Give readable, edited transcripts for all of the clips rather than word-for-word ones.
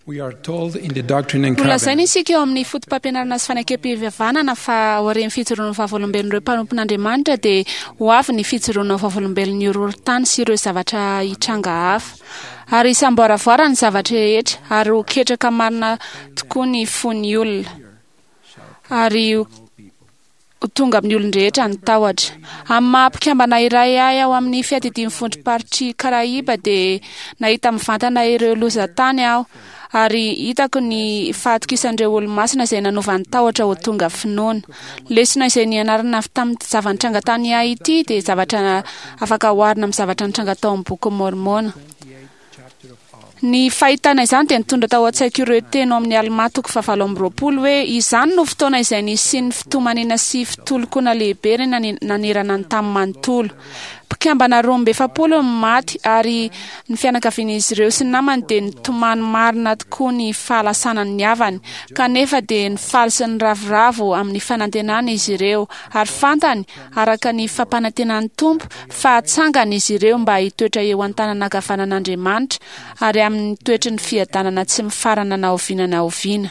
Nolazaina isika eo amin'ny fotopampianarana sy fanekem-pihavanana fa aorian'ny fijoroan'ny vavolombelon'ireo mpanompon'Andriamanitra dia ho avy ny fijoroana ho vavolombelon'ny horohorontany sy ireo zavatra hitranga hafa. Ary hisamboaravoara ny zavatra rehetra ary ho ketraka marina tokoa ny fon'ny olona. Ary ho tonga amin'ny olon-drehetra ny tahotra. Amin'ny maha mpikambana iray ahy ao amin'ny fiadidian'ny vondrom-paritr'i Karaiba dia nahita mivantana ireo lozan-tany aho ary hitako ny fahatokisan'ireo olomasina izay nanova ny tahotra ho tonga finoana. Lesona izay nianarana avy tamin'ny zava-nitranga tany Haiti dia zavatra afaka oharina amin'ny zavatra nitranga tao amin'ny Bokin'i Môrmôna. Ny fahitana izany dia nitondra tao an-tsaiko ireo teny ao amin'ny Almà toko fahavalo amby 20 hoe, Izany no fotoana izay nisian'ny fitomaniana sy fitolokoana lehibe nanerana ny tany manontolo. Mpikambana 42 no maty ary ny fianakavian'izy ireo sy ny namany dia nitomany marina tokoa ny fahalasanan'ny havany. Kanefa dia nifaly sy niravoravo amin'ny fanantenana izy ireo ary fantany araka ny fampanantenan'ny Tompo fa hatsangana izy ireo mba hitoetra eo an-tanana ankavanan'Andriamanitra ary amin'ny toetry ny fiadanana tsy mifarana na oviana na oviana.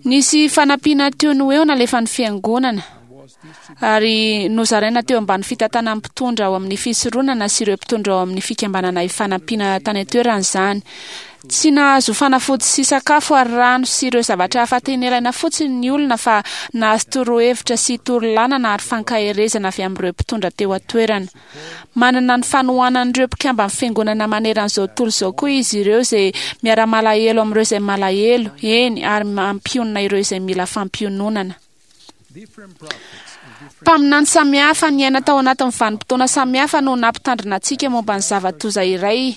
Nisy fanampiana teo no eo nalefan'ny Fiangonana ary nozaraina teo ambany fitantanan'ny mpitondra ao amin'ny fisoronana sy ireo mpitondra ao amin'ny fikambanana ifanampiana tany an-toerana izany. Tsy nahazo fanafody sy sakafo ary rano sy ireo zavatra hafa tena ilaina fotsiny ny olona fa nahazo torohevitra sy torolanana ary fankaherezana avy amin'ireo mpitondra teo an-toerana. Manana ny fanohanan'ireo mpikamban'ny Fiangonana maneran'izao tontolo izao koa izy ireo izay miara-malahelo amin'ireo izay malahelo, eny, ary mampionona ireo izay mila fampiononana. Mpaminany samihafa niaina tao anatin'ny vanim-potoana samihafa no nampitandrina antsika momba ny zava-doza iray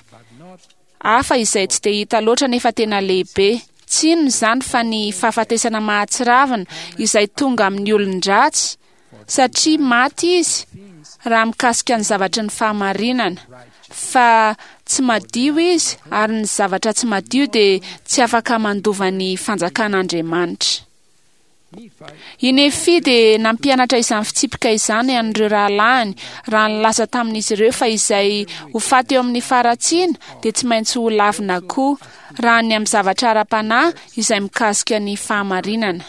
hafa izay tsy dia hita loatra nefa tena lehibe. Tsy inona izany fa ny fahafatesana mahatsiravina izay tonga amin'ny olon-dratsy, satria maty izy raha mikasika ny zavatry ny fahamarinana, fa tsy madio izy ary ny zavatra tsy madio dia tsy afaka mandova ny fanjakan'Andriamanitra. I Nefia dia nampianatra izany fitsipika izany an'ireo rahalahiny raha nilaza tamin'izy ireo fa izay ho faty eo amin'ny faharatsiana dia tsy maintsy ho lavina koa, raha ny amin'ny zavatra ara-panahy izay mikasika ny fahamarinana.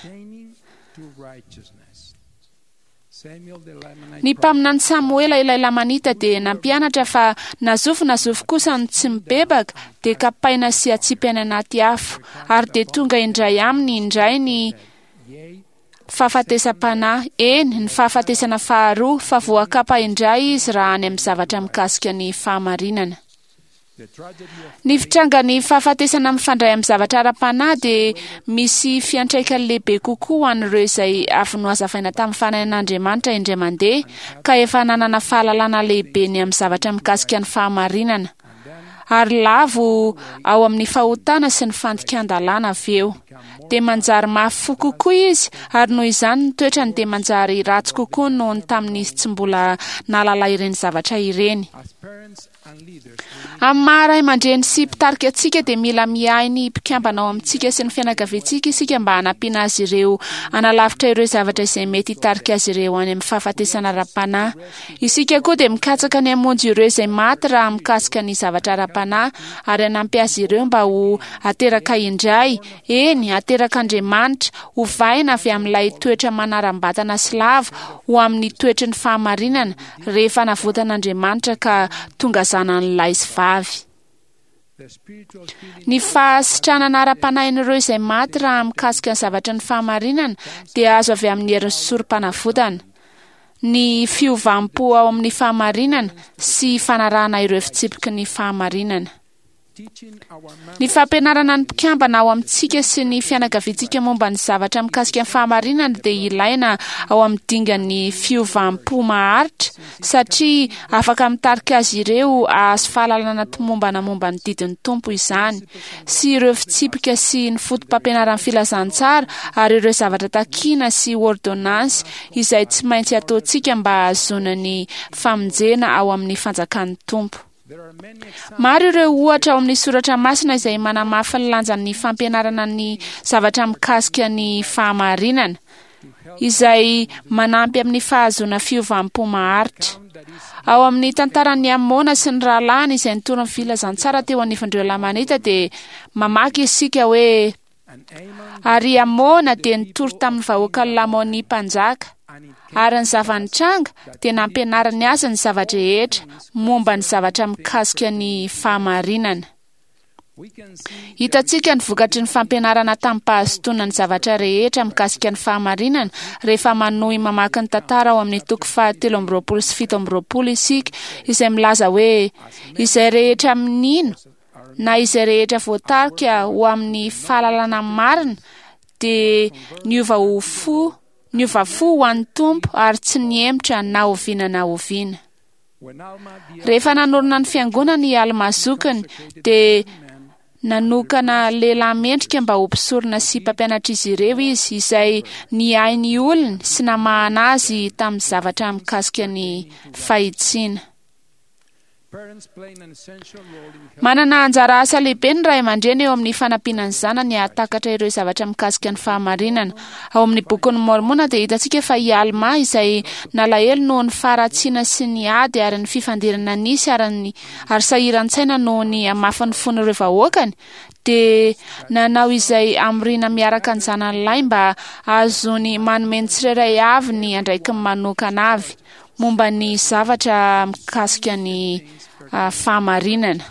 Ny mpaminany Samoela ilay Lamanita dia nampianatra fa na zovy na zovy kosa no tsy mibebaka dia kapaina sy atsipy any anaty afo, ary dia tonga indray aminy indray ny fahafatesam-panahy, eny, ny fahafatesana faharoa, fa voakapa indray izy raha any amin'ny zavatra mikasika ny fahamarinana. Ny fitrangan'ny fahafatesana mifandray amin'ny zavatra ara-panahy dia misy fiantraikany lehibe kokoa ho an'ireo izay avy nohazavaina tamin'ny fanahin'Andriamanitra indray mandeha ka efa nanana fahalalana lehibe ny amin'ny zavatra mikasika ny fahamarinana, ary lavo ao amin'ny fahotana sy ny fandikan-dalàna avy eo. Dia manjary mafy fo kokoa izy, ary noho izany ny toetrany dia manjary ratsy kokoa noho ny tamin'izy tsy mbola nahalala ireny zavatra ireny. Amin'ny maha ray aman-dreny sy mpitarika antsika dia mila miahy ny mpikambana ao amintsika sy ny fianakaviantsika isika mba hanampiana azy ireo hanalavitra ireo zavatra izay mety hitarika azy ireo any amin'ny fahafatesana ara-panahy. Isika koa dia mikatsaka ny hamonjy ireo izay maty raha mikasika ny zavatra ara-panahy ary hanampy azy ireo mba ho ateraka indray, eny, aterak'Andriamanitra, hovaina avy amin'ilay toetra manaram-batana sy lavo ho amin'ny toetry ny fahamarinana, rehefa navotan'Andriamanitra ka tonga zanany lahy sy vavy. Ny fahasitranana ara-panahin'ireo izay maty raha mikasika ny zavatry ny fahamarinana dia azo avy amin'ny herin'ny sorom-panavotana, ny fiovam-po ao amin'ny fahamarinana sy fanarahana ireo fitsipiky ny fahamarinana. Ny fampianarana ny mpikambana ao amintsika sy ny fianakaviantsika momba ny zavatra mikasika ny fahamarinana dia ilaina ao amin'ny dingan'ny fiovam-po maharitra satria afaka mitarika azy ireo hahazo fahalalana tomombana momba ny didin'ny Tompo izany sy ireo fitsipika sy ny fotopampianaran'ny filazantsara ary ireo zavatra takina sy ôrdônansy izay tsy maintsy ataontsika mba hahazoana ny famonjena ao amin'ny fanjakan'ny Tompo. Maro ireo ohatra ao amin'ny soratra masina izay manamafy ny lanjan'ny fampianarana ny zavatra mikasika ny fahamarinana. izay manampy amin'ny fahazoana fiovam-po maharitra. Ao amin'ny tantaran'i Amôna sy ny rahalahiny izay nitory ny filazantsara teo anivon'ireo Lamanita dia mamaky isika hoe, Ary i Amôna dia nitory tamin'ny vahoakan'i Lamônia mpanjaka, ary ny zava-nitranga dia nampianariny azy ny zava-drehetra momba ny zavatra mikasika ny fahamarinana. Hitantsika ny vokatry ny fampianarana tamim-pahazotoana ny zavatra rehetra mikasika ny fahamarinana rehefa manohy mamaky ny tantara ao amin'ny toko faha-23 sy 27 isika, izay milaza hoe, Izay rehetra mino na izay rehetra voatarika ho amin'ny fahalalana marina dia niova ho fo, niova fo ho an'ny Tompo ary tsy nihemotra na oviana na oviana. Rehefa nanorina ny fiangonana i Almà zokiny, dia nanokana lehilahy mendrika mba ho mpisorona sy mpampianatr'izy ireo izy, izay niahy ny olony sy namahana azy tamin'ny zavatra mikasika ny fahitsiana. Manana anjara asa lehibe ny ray aman-dreny eo amin'ny fanampiana ny zanany hahatakatra ireo zavatra mikasika ny fahamarinana. Ao amin'ny Bokin'i Môrmôna dia hitantsika fa i Almà, izay nalahelo noho ny faharatsiana sy ny ady ary ny fifandirana nisy ary ny ary sahiran-tsaina noho ny hamafin'ny fon'ireo vahoakany, dia nanao izay hamoriana miaraka ny zanany lahy mba hahazoany manome ny tsirairay avy ny andraikiny manokana avy. momba ny zavatra mikasika ny fahamarinana.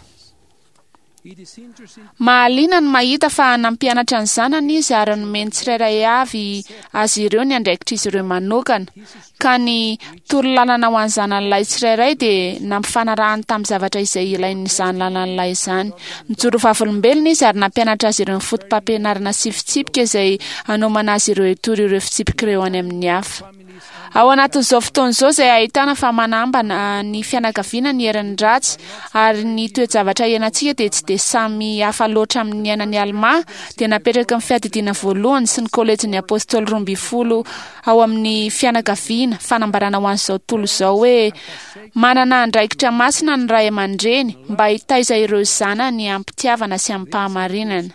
Mahaliana ny mahita fa nampianatra ny zanany izy ary nomeny tsirairay avy azy ireo ny andraikitr'izy ireo manokana, ka ny torolalana ho an'ny zanany lahy tsirairay dia nampifanarahany tamin'ny zavatra izay ilain'izany lalany lahy izany. Nijoro vavolombelona izy ary nampianatra azy ireo ny fotopampianarana sy fitsipika izay hanomana azy ireo hitory ireo fitsipika ireo any amin'ny hafa. Ao anatin'izao fotoana izao izay ahitana fa manambana ny fianakaviana ny herin'ny ratsy ary ny toe-javatra iainantsika dia tsy dia samy hafa loatra amin'ny niainan'i Almà, dia napetraky ny Fiadidiana Voalohany sy ny Kôlejin'ny Apôstôly Roambinifolo ao amin'ny Fianakaviana fanambarana ho an'izao tontolo izao hoe manana andraikitra masina ny ray aman-dreny mba hitaiza ireo zanany amim-pitiavana sy amim-pahamarinana.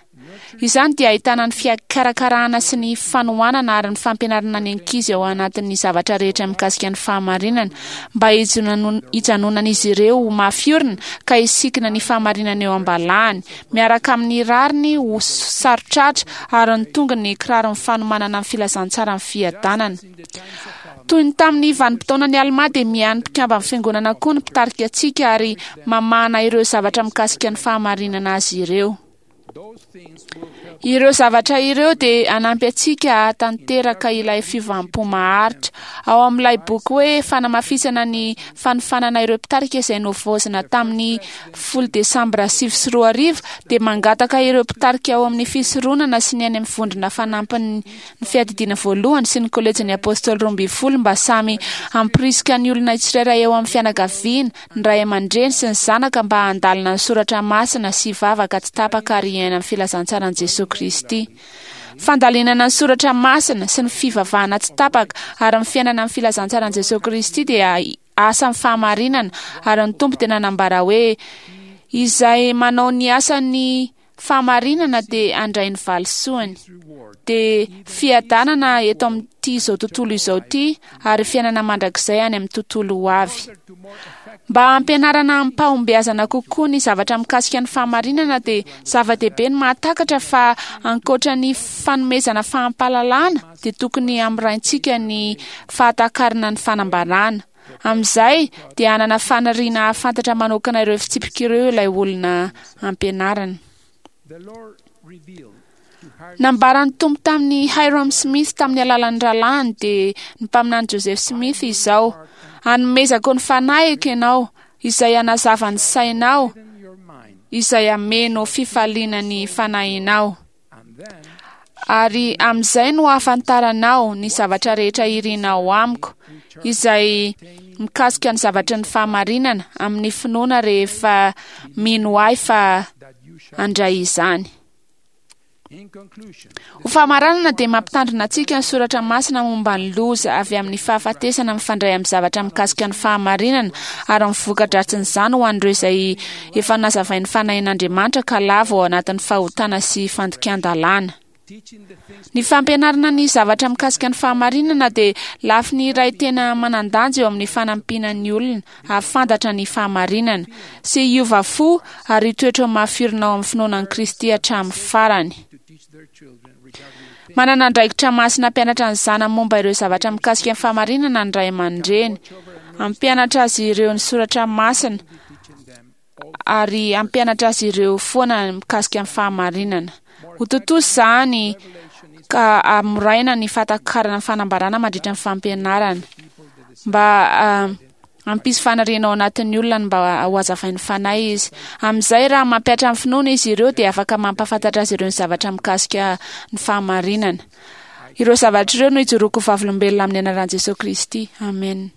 Izany dia ahitana ny fikarakarana sy ny fanohanana ary ny fampianarana ny ankizy ao anatin'ny zavatra rehetra mikasika ny fahamarinana, mba hijanonan'izy ireo ho mafy orina ka hisikina ny fahamarinana eo am-balahany, miaraka amin'ny rariny ho saro-tratra ary ny tongony kiraron'ny fanomanana ny filazantsaran'ny fiadanana. Toy ny tamin'ny vanim-potoanan'i Almà dia miahy ny mpikamban'ny Fiangonana koa ny mpitarika antsika ary mamahana ireo zavatra mikasika ny fahamarinana azy ireo. Ireo zavatra ireo dia hanampy antsika hahatanteraka ilay fiovam-po maharitra. Ao amin'ilay boky hoe Fanamafisana ny Fanofanana Ireo Mpitarika izay novaozina tamin'ny 10 Desambra 2009 dia mangataka ireo mpitarika ao amin'ny fisoronana sy ny any amin'ny vondrona fanampiny ny Fiadidiana Voalohany sy ny Kôlejin'ny Apôstôly Roambinifolo mba samy hampirisika ny olona tsirairay ao amin'ny fianakaviana, ny ray aman-dreny sy ny zanaka mba handalina ny soratra masina sy hivavaka tsy tapaka ary hiaina ny filazantsaran'i Jesoa Kristy. Fandalinana ny soratra masina sy ny fivavahana tsy tapaka ary ny fiainana ny filazantsaran'i Jesoa Kristy dia asan'ny fahamarinana ary ny Tompo dia nanambara hoe izay manao ny asan'ny fahamarinana dia handray ny valisoany, dia fiadanana eto amin'ity izao tontolo izao ity ary fiainana mandrakizay any amin'ny tontolo ho avy. Mba hampianarana amim-pahombiazana kokoa ny zavatra mikasika ny fahamarinana dia zava-dehibe ny mahatakatra fa ankoatra ny fanomezana fahampahalalana dia tokony hamoraintsika ny fahatakarana ny fanambarana. Amin'izay dia hanana faniriana hahafantatra manokana ireo fitsipika ireo ilay olona ampianarina. Nambaran'ny Tompo tamin'i Hyrum Smith tamin'ny alalan'ny rahalahiny dia ny mpaminany Joseph Smith izao, Hanomezako ny fanahiko ianao, izay hanazava ny sainao, izay hameno fifaliana ny fanahinao. Ary amin'izay no hahafantaranao ny zavatra rehetra irinao amiko, izay mikasika ny zavatry ny fahamarinana, amin'ny finoana rehefa mino ahy fa handray izany. Ho famaranana dia mampitandrina antsika ny soratra masina momba ny loza avy amin'ny fahafatesana mifandray amin'ny zavatra mikasika ny fahamarinana ary ny voka-dratsin'izany ho an'ireo izay efa nazavain'ny Fanahin'Andriamanitra ka lavo ao anatin'ny fahotana sy fandikan-dalàna. Ny fampianarana ny zavatra mikasika ny fahamarinana dia lafiny iray tena manan-danja eo amin'ny fanampiana ny olona hahafantatra ny fahamarinana sy hiova fo ary hitoetra ho mafy orina ao amin'ny finoana an'i Kristy hatramin'ny farany. Manana andraikitra masina hampianatra ny zanany momba ireo zavatra mikasika ny fahamarinana ny ray aman-dreny. Hampianatra azy ireo ny soratra masina ary hampianatra azy ireo foana mikasika ny fahamarinana. Ho tontosa izany ka hamoraina ny fahatakarana ny fanambarana mandritra ny fampianarana mba hampisy faniriana ao anatin'ny olona ny mba ho hazavain'ny fanahy izy. Amin'izay raha mampihatra ny finoana izy ireo dia afaka mampahafantatra azy ireo ny zavatra mikasika ny fahamarinana. Ireo zavatra ireo no ijoroako vavolombelona amin'ny anaran'i Jesosy Kristy. Amen.